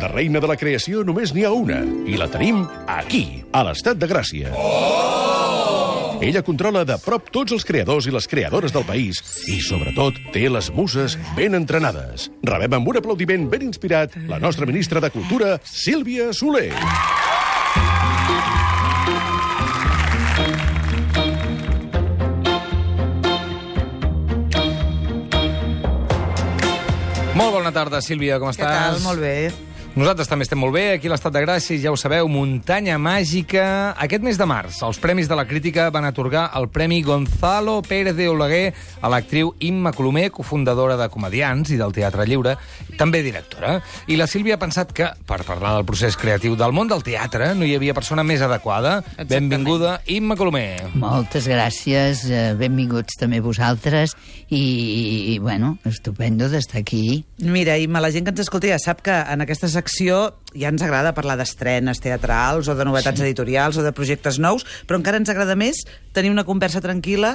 De reina de la creació només n'hi ha una, i la tenim aquí, a l'Estat de Gràcia. Ella controla de prop tots els creadors i les creadores del país i, sobretot, té les muses ben entrenades. Rebem amb un aplaudiment ben inspirat la nostra ministra de Cultura, Sílvia Soler. Molt bona tarda, Sílvia, com estàs? Què tal? Molt bé. Nosaltres també estem molt bé, aquí a l'Estat de Gràcia, ja ho sabeu, muntanya màgica. Aquest mes de març, els Premis de la Crítica van atorgar el Premi Gonzalo Pérez de Oleguer a l'actriu Imma Colomer, cofundadora de Comediants i del Teatre Lliure, també directora. I la Sílvia ha pensat que, per parlar del procés creatiu del món del teatre, no hi havia persona més adequada. Exactament. Benvinguda, Imma Colomer. Moltes gràcies, benvinguts també vosaltres i bueno, estupendo d'estar aquí. Mira, Imma, la gent que ens escolta ja sap que en aquesta secció ja ens agrada parlar d'estrenes teatrals o de novetats editorials o de projectes nous, però encara ens agrada més tenir una conversa tranquil·la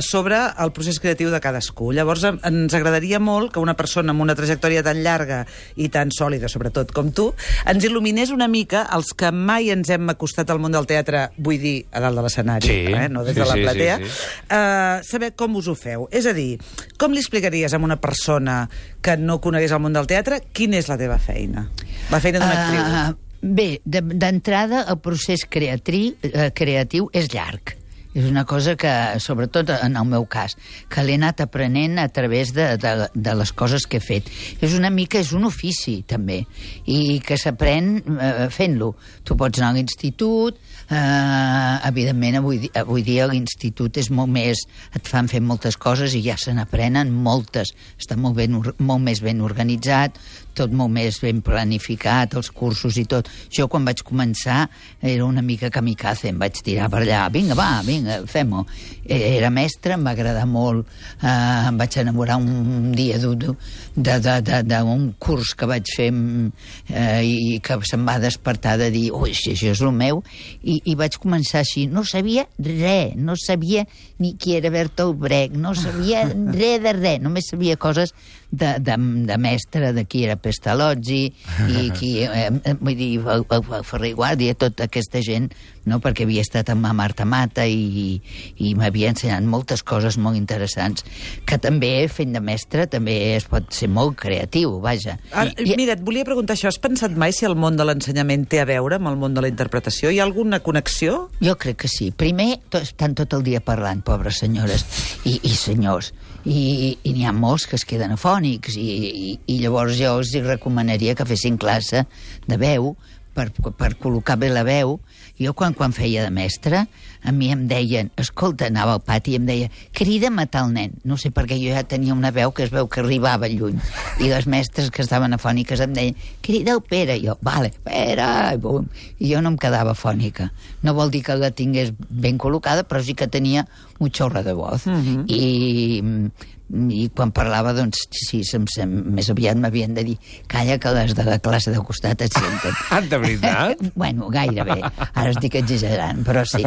sobre el procés creatiu de cadascú. Llavors, ens agradaria molt que una persona amb una trajectòria tan llarga i tan sòlida, sobretot com tu, ens il·luminés una mica els que mai ens hem acostat al món del teatre, vull dir, a dalt de l'escenari, Sí. no des de la platea, sí. Saber com us ho feu. És a dir, com li explicaries a una persona que no conegués el món del teatre quina és la teva feina? La feina d'una actriu. Bé, d'entrada el procés creatiu és llarg. És una cosa que, sobretot en el meu cas, que l'he anat aprenent a través de les coses que he fet. És una mica, és un ofici, també, i que s'aprèn fent-lo. Tu pots anar a l'institut, evidentment, avui dia l'institut és molt més... et fan fer moltes coses i ja se n'aprenen moltes. Està molt més ben organitzat, tot molt més ben planificat, els cursos i tot. Jo, quan vaig començar, era una mica kamikaze, em vaig tirar per allà. Vinga, fem-ho. Era mestre, em va agradar molt. Em vaig enamorar un dia d'un curs que vaig fer i que se'm va despertar de dir, ui, això és el meu, i vaig començar així. No sabia res, no sabia ni qui era Bertolt Brecht, no sabia res de res, només sabia coses de mestre, de qui era Pestalozzi i qui, vull dir, el Ferrer i Guàrdia, tota aquesta gent, no? Perquè havia estat amb Marta Mata i m'havia ensenyat moltes coses molt interessants, que també, fent de mestre, també es pot ser molt creatiu, vaja. Mira, et volia preguntar això, has pensat mai si el món de l'ensenyament té a veure amb el món de la interpretació? Hi ha alguna connexió? Jo crec que sí. Primer, estan tot el dia parlant, pobres senyores i senyors, i n'hi ha molts que es queden afònics, i llavors jo els recomanaria que fessin classe de veu per col·locar bé la veu. Jo quan feia de mestre, a mi em deien, escolta, anava al pati i em deia, crida'm a tal nen. No sé, perquè jo ja tenia una veu que es veu que arribava lluny. I les mestres que estaven afòniques em deien, crida el Pere. I jo, vale, Pere, i bum. I jo no em quedava afònica. No vol dir que la tingués ben col·locada, però sí que tenia un xorro de voz. I quan parlava, doncs, sí, més aviat m'havien de dir, calla, que les de la classe de costat et senten. De veritat? Bueno, gairebé. Ara estic exagerant, però sí.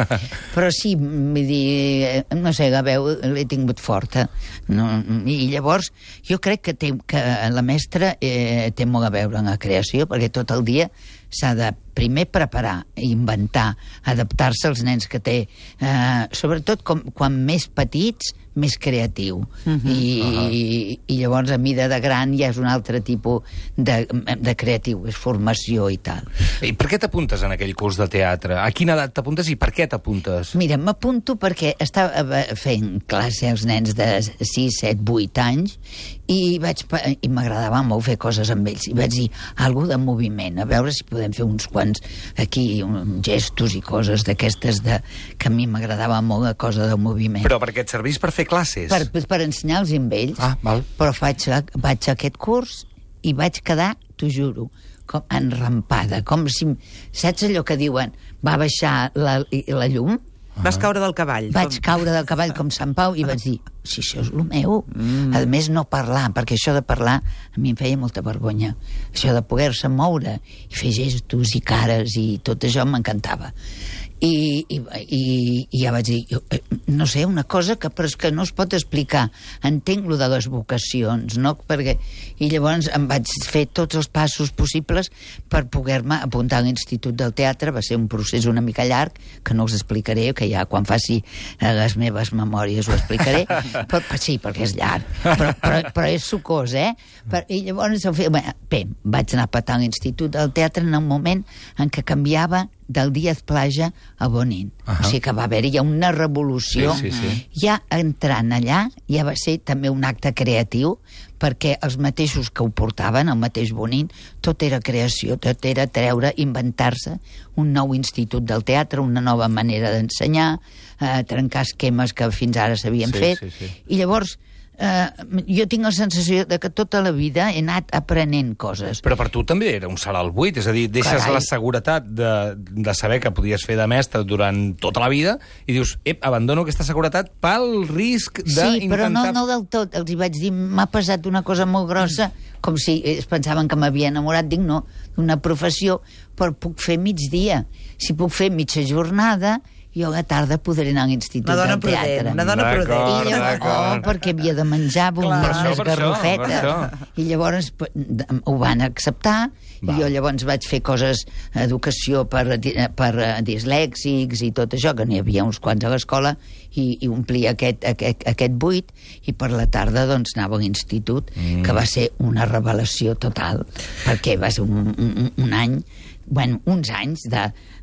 Però sí, vull dir, no sé, la veu l'he tingut forta. No? I llavors, jo crec que la mestra té molt a veure en la creació, perquè tot el dia s'ha de primer preparar, inventar, adaptar-se als nens que té. Sobretot quan més petits, més creatiu. I llavors, a mida de gran, ja és un altre tipus de creatiu, és formació i tal. I per què t'apuntes en aquell curs de teatre? A quina edat t'apuntes i per què t'apuntes? Mira, m'apunto perquè estava fent classe als nens de 6, 7, 8 anys i m'agradava molt fer coses amb ells. I vaig dir, alguna de moviment, a veure si podem fer uns quants aquí, gestos i coses d'aquestes que a mi m'agradava molt la cosa del moviment. Però perquè et servís per fer classes? Per ensenyar-los amb ells. Val. Però vaig a aquest curs i vaig quedar, t'ho juro, com enrampada, com si... Saps allò que diuen, va baixar la llum? Vas caure del cavall. Vaig caure del cavall com Sant Pau i vaig dir, si això és el meu. A més, no parlar, perquè això de parlar a mi em feia molta vergonya. Això de poder-se moure i fer gestos i cares i tot això m'encantava. I ja vaig dir, no sé, una cosa que, però és que no es pot explicar. Entenc lo de les vocacions, no? I llavors em vaig fer tots els passos possibles per poder-me apuntar a l'Institut del Teatre. Va ser un procés una mica llarg, que no us explicaré, que ja quan faci les meves memòries ho explicaré. Però sí, perquè és llarg. Però és sucós, I llavors, bé, vaig anar a petar a l'Institut del Teatre en un moment en què canviava del Díaz Plaja a Bonin. O sigui que va haver-hi ja una revolució. Sí. Ja entrant allà, ja va ser també un acte creatiu, perquè els mateixos que ho portaven, el mateix Bonin, tot era creació, tot era treure, inventar-se un nou institut del teatre, una nova manera d'ensenyar, trencar esquemes que fins ara s'havien fet. I llavors jo tinc la sensació de que tota la vida he anat aprenent coses. Però per tu també era un salt al buit, és a dir, deixes la seguretat de saber que podies fer de mestre durant tota la vida i dius, abandono aquesta seguretat pel risc d'intentar... Sí, però no del tot. Els hi vaig dir, m'ha passat una cosa molt grossa, com si es pensaven que m'havia enamorat, dic no, d'una professió, però puc fer migdia. Si puc fer mitja jornada, jo a la tarda podré anar a l'Institut del Teatre. Una dona prudent. Perquè havia de menjar unes garrofetes. I llavors ho van acceptar, i jo llavors vaig fer coses, educació per dislèxics i tot això, que n'hi havia uns quants a l'escola, i omplia aquest buit, i per la tarda doncs anava a l'institut, que va ser una revelació total, perquè va ser un any, uns anys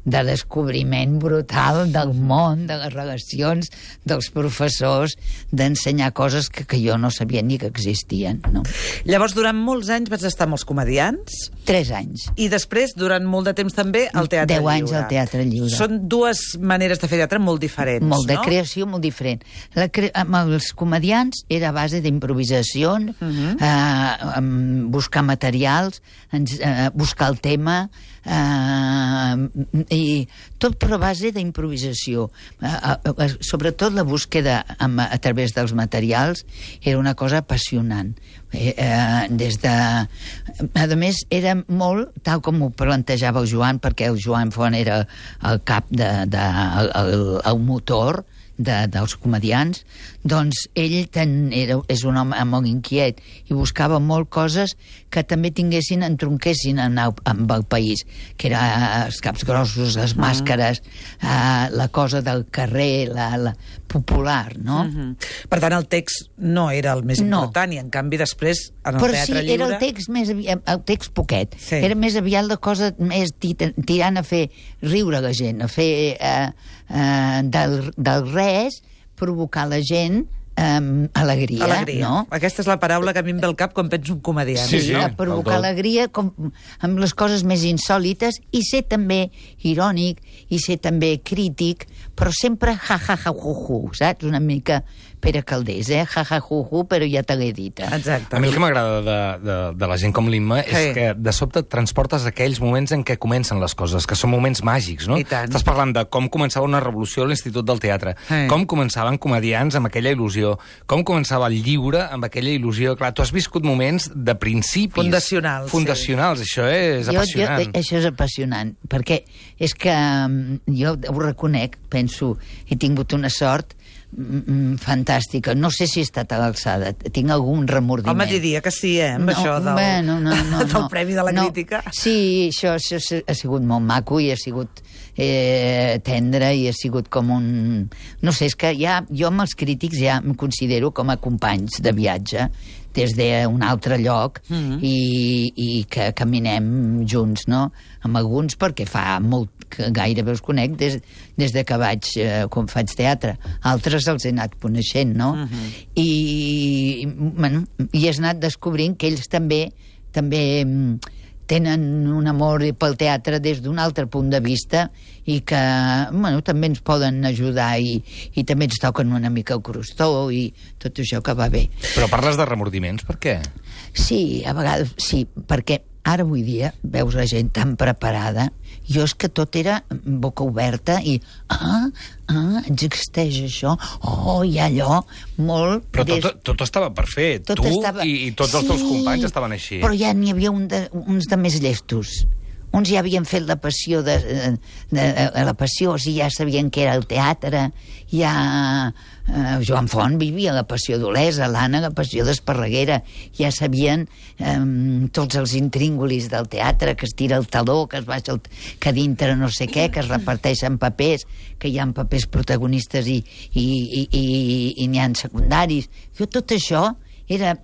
de descobriment brutal del món, de les relacions dels professors, d'ensenyar coses que jo no sabia ni que existien, no? Llavors, durant molts anys vas estar amb els comediants? 3 anys. I després, durant molt de temps també, al Teatre Lliure. 10 anys al Teatre Lliure. Són dues maneres de fer teatre molt diferents, molt de creació, molt diferent. Amb els comediants era a base d'improvisació, buscar materials, buscar el tema, i tot per a base d'improvisació. Sobretot la búsqueda a través dels materials era una cosa apassionant. A més, era molt, tal com ho plantejava el Joan, perquè el Joan Font era el cap el motor dels comedians, doncs ell és un home molt inquiet i buscava molt coses que també entronquessin amb el país, que eren els caps grossos, les màscares, la cosa del carrer, la popular, no? Per tant, el text no era el més important, i en canvi després, en el Teatre Lliure... Però sí, era el text poquet. Era més aviat la cosa més tirant a fer riure la gent, a fer del res provocar la gent alegria, no? Aquesta és la paraula que a mi em ve al cap quan penso en comediant. Sí, provocar alegria amb les coses més insòlites, i ser també irònic, i ser també crític, però sempre ja-ja-ja-hu-hu, saps? Una mica Pere Caldés, ja-ja-hu-hu, però ja te l'he dit. Exacte. A mi el que m'agrada de la gent com l'Imma és que de sobte et transportes aquells moments en què comencen les coses, que són moments màgics, no? Estàs parlant de com començava una revolució a l'Institut del Teatre, com començaven comediants amb aquella il·lusió, com començava el lliure amb aquella il·lusió. Clar, tu has viscut moments de principis... Fundacionals. Això és apassionant. Això és apassionant, perquè és que jo ho reconec, penso, he tingut una sort fantàstica. No sé si he estat a l'alçada, tinc algun remordiment. Home, diria que sí, amb això del Premi de la Crítica. Sí, això ha sigut molt maco i ha sigut tendre, i ha sigut com un... No sé, és que jo amb els crítics ja em considero com a companys de viatge des d'un altre lloc, i que caminem junts, no? Amb alguns, perquè fa molt que gairebé els conec des de que quan faig teatre. Altres els he anat coneixent, no? I has anat descobrint que ells també tenen un amor pel teatre des d'un altre punt de vista, i que també ens poden ajudar, i també ens toquen una mica el crostó i tot això que va bé. Però parles de remordiments, per què? Sí, a vegades sí, perquè ara avui dia veus la gent tan preparada. Jo és que tot era boca oberta i existeix això, i allò molt... Però tot estava per fer, i tots els teus companys estaven així. Però ja n'hi havia uns de més llestos, uns ja havien fet la passió la passió, o sigui, ja sabien que era el teatre, ja Joan Font vivia la passió d'Olesa, l'Anna la passió d'Esparreguera, ja sabien tots els intríngulis del teatre, que es tira el taló, que es baixa que dintre no sé què, que es reparteixen papers, que hi ha papers protagonistes i n'hi ha secundaris. Tot això era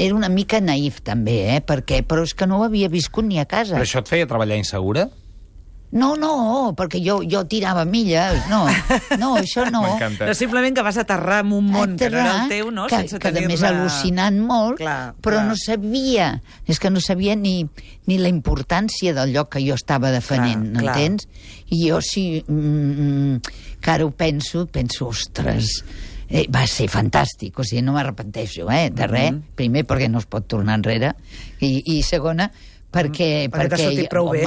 una mica naïf també, però és que no ho havia viscut ni a casa. Però això et feia treballar insegura? No, perquè jo tirava milles, no, això no. M'encanta. No, simplement que vas aterrar en un món que no era el teu, no? Que a més al·lucinant molt, però no sabia, és que no sabia ni la importància del lloc que jo estava defendent, m'entens? I jo sí, que ara ho penso, ostres, va ser fantàstic, o sigui, no m'arrepenteixo, de res, primer perquè no es pot tornar enrere, i segona, perquè t'ha sortit prou bé.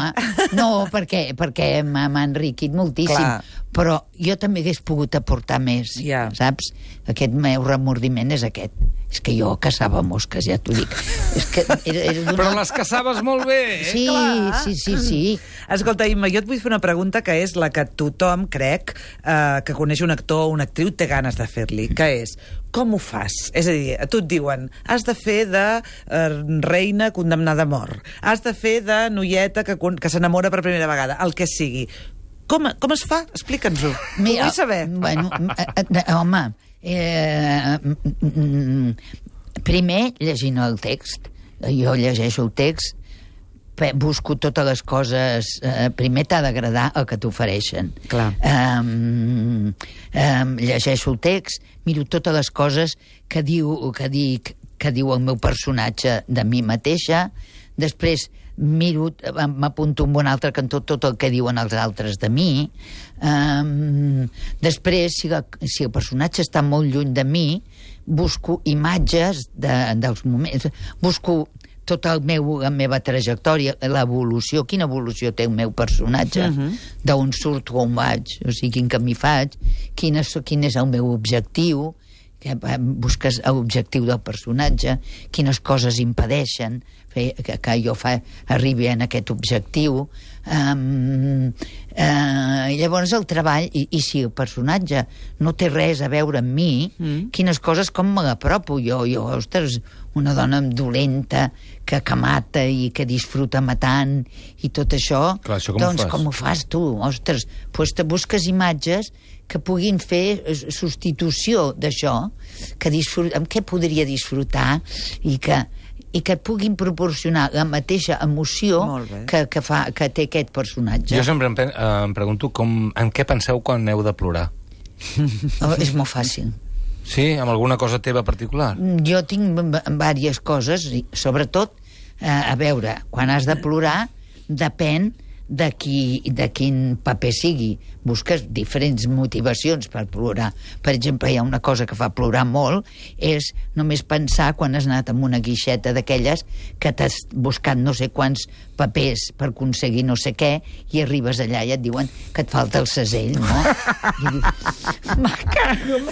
No, perquè m'ha enriquit moltíssim, però jo també hagués pogut aportar més, saps? Aquest meu remordiment és aquest. És que jo caçava mosques, ja t'ho dic. Però les caçaves molt bé, Sí. Escolta, Imma, jo et vull fer una pregunta que és la que tothom, crec, que coneix un actor o una actriu té ganes de fer-li, que és, com ho fas? És a dir, a tu et diuen, has de fer de reina condemnada a mort, has de fer de noieta que s'enamora per primera vegada, el que sigui. Com es fa? Explica'ns-ho. Ho vull saber. Bueno, home, primer llegint el text. Jo llegeixo el text, busco totes les coses, primer t'ha d'agradar el que t'ofereixen. Llegeixo el text, miro totes les coses que diu el meu personatge de mi mateixa, després m'apunto en un altre cantó tot el que diuen els altres de mi, després si el personatge està molt lluny de mi, busco imatges dels moments, busco tota la meva trajectòria, l'evolució, quina evolució té el meu personatge, d'on surto, on vaig, o sigui, quin camí faig, quin és el meu objectiu, que busques l'objectiu del personatge, quines coses impedeixen que jo arribi a aquest objectiu. Llavors el treball, i si el personatge no té res a veure amb mi, quines coses, com me l'apropo jo, ostres, una dona dolenta que mata i que disfruta matant i tot això, doncs com ho fas tu? Ostres, doncs te busques imatges que puguin fer substitució d'això, amb què podria disfrutar i que puguin proporcionar la mateixa emoció que té aquest personatge. Jo sempre em pregunto en què penseu quan heu de plorar. És molt fàcil. Sí? Amb alguna cosa teva particular? Jo tinc diverses coses, sobretot, a veure, quan has de plorar, depèn de quin paper sigui. Busques diferents motivacions per plorar. Per exemple, hi ha una cosa que fa plorar molt, és només pensar quan has anat amb una guixeta d'aquelles que t'has buscat no sé quants papers per aconseguir no sé què i arribes allà i et diuen que et falta el segell, no? I dius, me cago!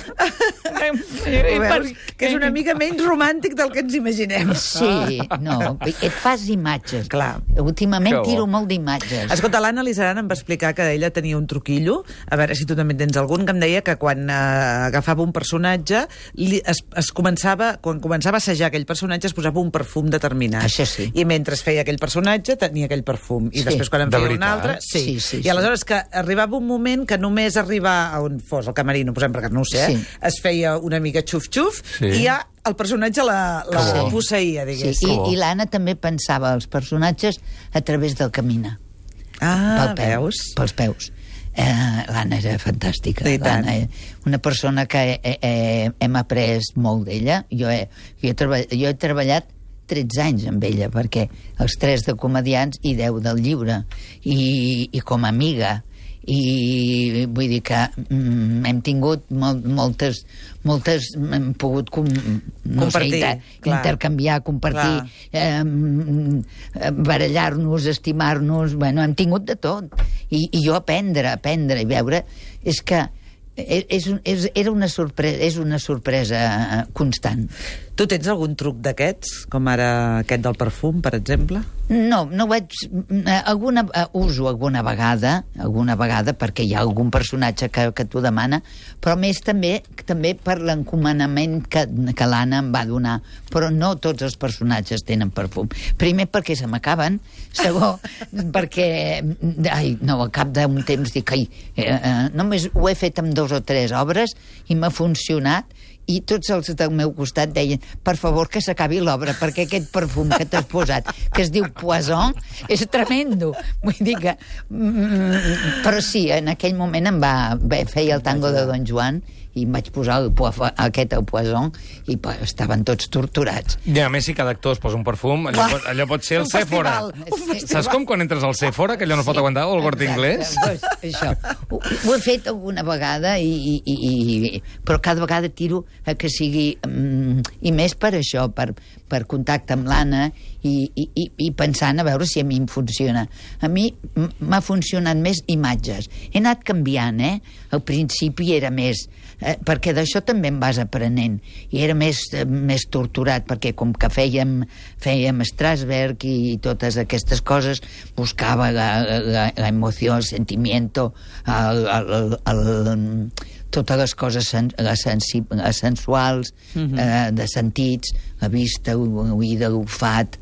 Que és una mica menys romàntic del que ens imaginem. Sí, no, et fas imatges. Últimament tiro molt d'imatges. Escolta, l'Anna Lizaran em va explicar que ella tenia un truquillo, a veure si tu també tens algun, que em deia que quan agafava un personatge, quan començava a assajar aquell personatge es posava un perfum determinat. Això sí. I mentre feia aquell personatge tenia aquell perfum. I després quan en feia un altre... Sí. I aleshores que arribava un moment que només arribar a on fos el camerino, posem perquè no ho sé, es feia una mica xuf-xuf i ja el personatge la posseïa, diguéssim. I l'Anna també pensava els personatges a través del caminar. Veus? Pels peus. L'Anna era fantàstica. L'Anna, una persona que hem après molt d'ella. Jo he treballat 13 anys amb ella, perquè els 3 de comediants i 10 del llibre, i com a amiga. I vull dir que hem tingut moltes hem pogut intercanviar, compartir, barallar-nos, estimar-nos, bueno, hem tingut de tot, i jo aprendre i veure, és que era una sorpresa constant. Tu tens algun truc d'aquests, com ara aquest del perfum, per exemple? No vaig... uso alguna vegada, perquè hi ha algun personatge que t'ho demana, però més també per l'encomanament que l'Anna em va donar. Però no tots els personatges tenen perfum. Primer, perquè se m'acaben. Segon, perquè... al cap d'un temps dic... només ho he fet amb 2 o 3 obres i m'ha funcionat, i tots els del meu costat deien, per favor, que s'acabi l'obra, perquè aquest perfum que t'has posat, que es diu Poison, és tremendo. Vull dir que... Però sí, en aquell moment feia el tango de Don Juan, i em vaig posar aquest al Poison, i estaven tots torturats. I a més, si cada actor es posa un perfum, allò pot ser el Sephora. Saps com quan entres al Sephora, que allò no es pot aguantar, o el Corte Inglés? Això. Ho he fet alguna vegada, però cada vegada tiro a que sigui... I més per això, per contacte amb l'Anna, i pensant a veure si a mi em funciona. A mi m'ha funcionat més imatges. He anat canviant, Al principi era més... perquè d'això també em vas aprenent, i era més torturat, perquè com que fèiem Strasberg i totes aquestes coses, buscava la emoció, el sentimiento, totes les coses les sensuals, de sentits, la vista, l'oïda, l'olfat,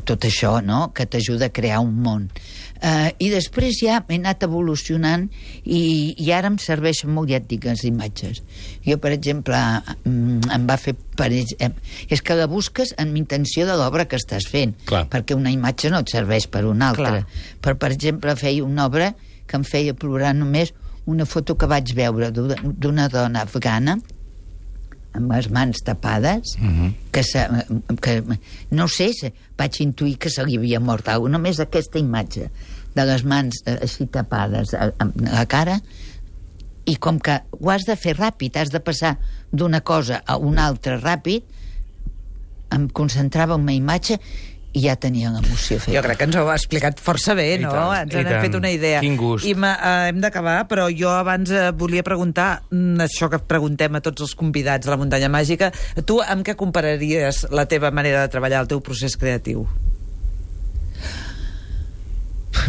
tot això, no?, que t'ajuda a crear un món. I després ja he anat evolucionant i ara em serveixen molt, ja et dic, les imatges. Jo, per exemple, em va fer... És que la busques en intenció de l'obra que estàs fent. Clar. Perquè una imatge no et serveix per una altra. Però, per exemple, feia una obra que em feia plorar només una foto que vaig veure d'una dona afgana amb les mans tapades, que no sé, vaig intuir que se li havia mort alguna, només aquesta imatge de les mans així tapades a la cara, i com que ho has de fer ràpid, has de passar d'una cosa a una altra ràpid, em concentrava en una imatge i ja tenia l'emoció feta. Jo crec que ens ho ha explicat força bé, no? Ens n'hem fet una idea. Quin gust. I hem d'acabar, però jo abans volia preguntar, això que preguntem a tots els convidats de la Muntanya Màgica, tu amb què compararies la teva manera de treballar, el teu procés creatiu?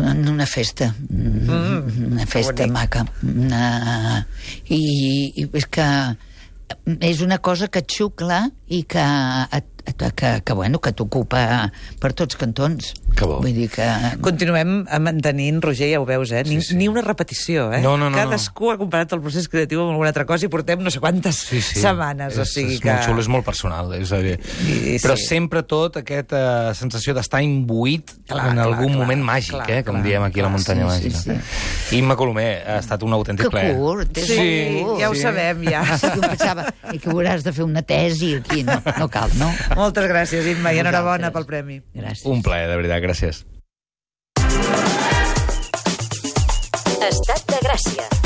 En una festa. Una festa maca. I és que és una cosa que et xucla i que t'ocupa per tots cantons. Que bo. Vull dir que... Continuem mantenint, Roger, ja ho veus, ni una repetició, No. Cadascú ha comparat el procés creatiu amb alguna altra cosa i portem no sé quantes setmanes, o sigui que... És molt xulo, és molt personal, és a dir... Però sempre tot aquesta sensació d'estar imbuït en algun moment màgic, com diem aquí a la Muntanya Màgica. Imma Colomer, ha estat un autèntic plaer. Que curt, ja ho sabem, ja. Jo pensava que hauràs de fer una tesi aquí, no cal, no? Moltes gràcies, Imma, i enhorabona pel premi. Gràcies. Un plaer, de veritat, gràcies. Estat de Gràcia.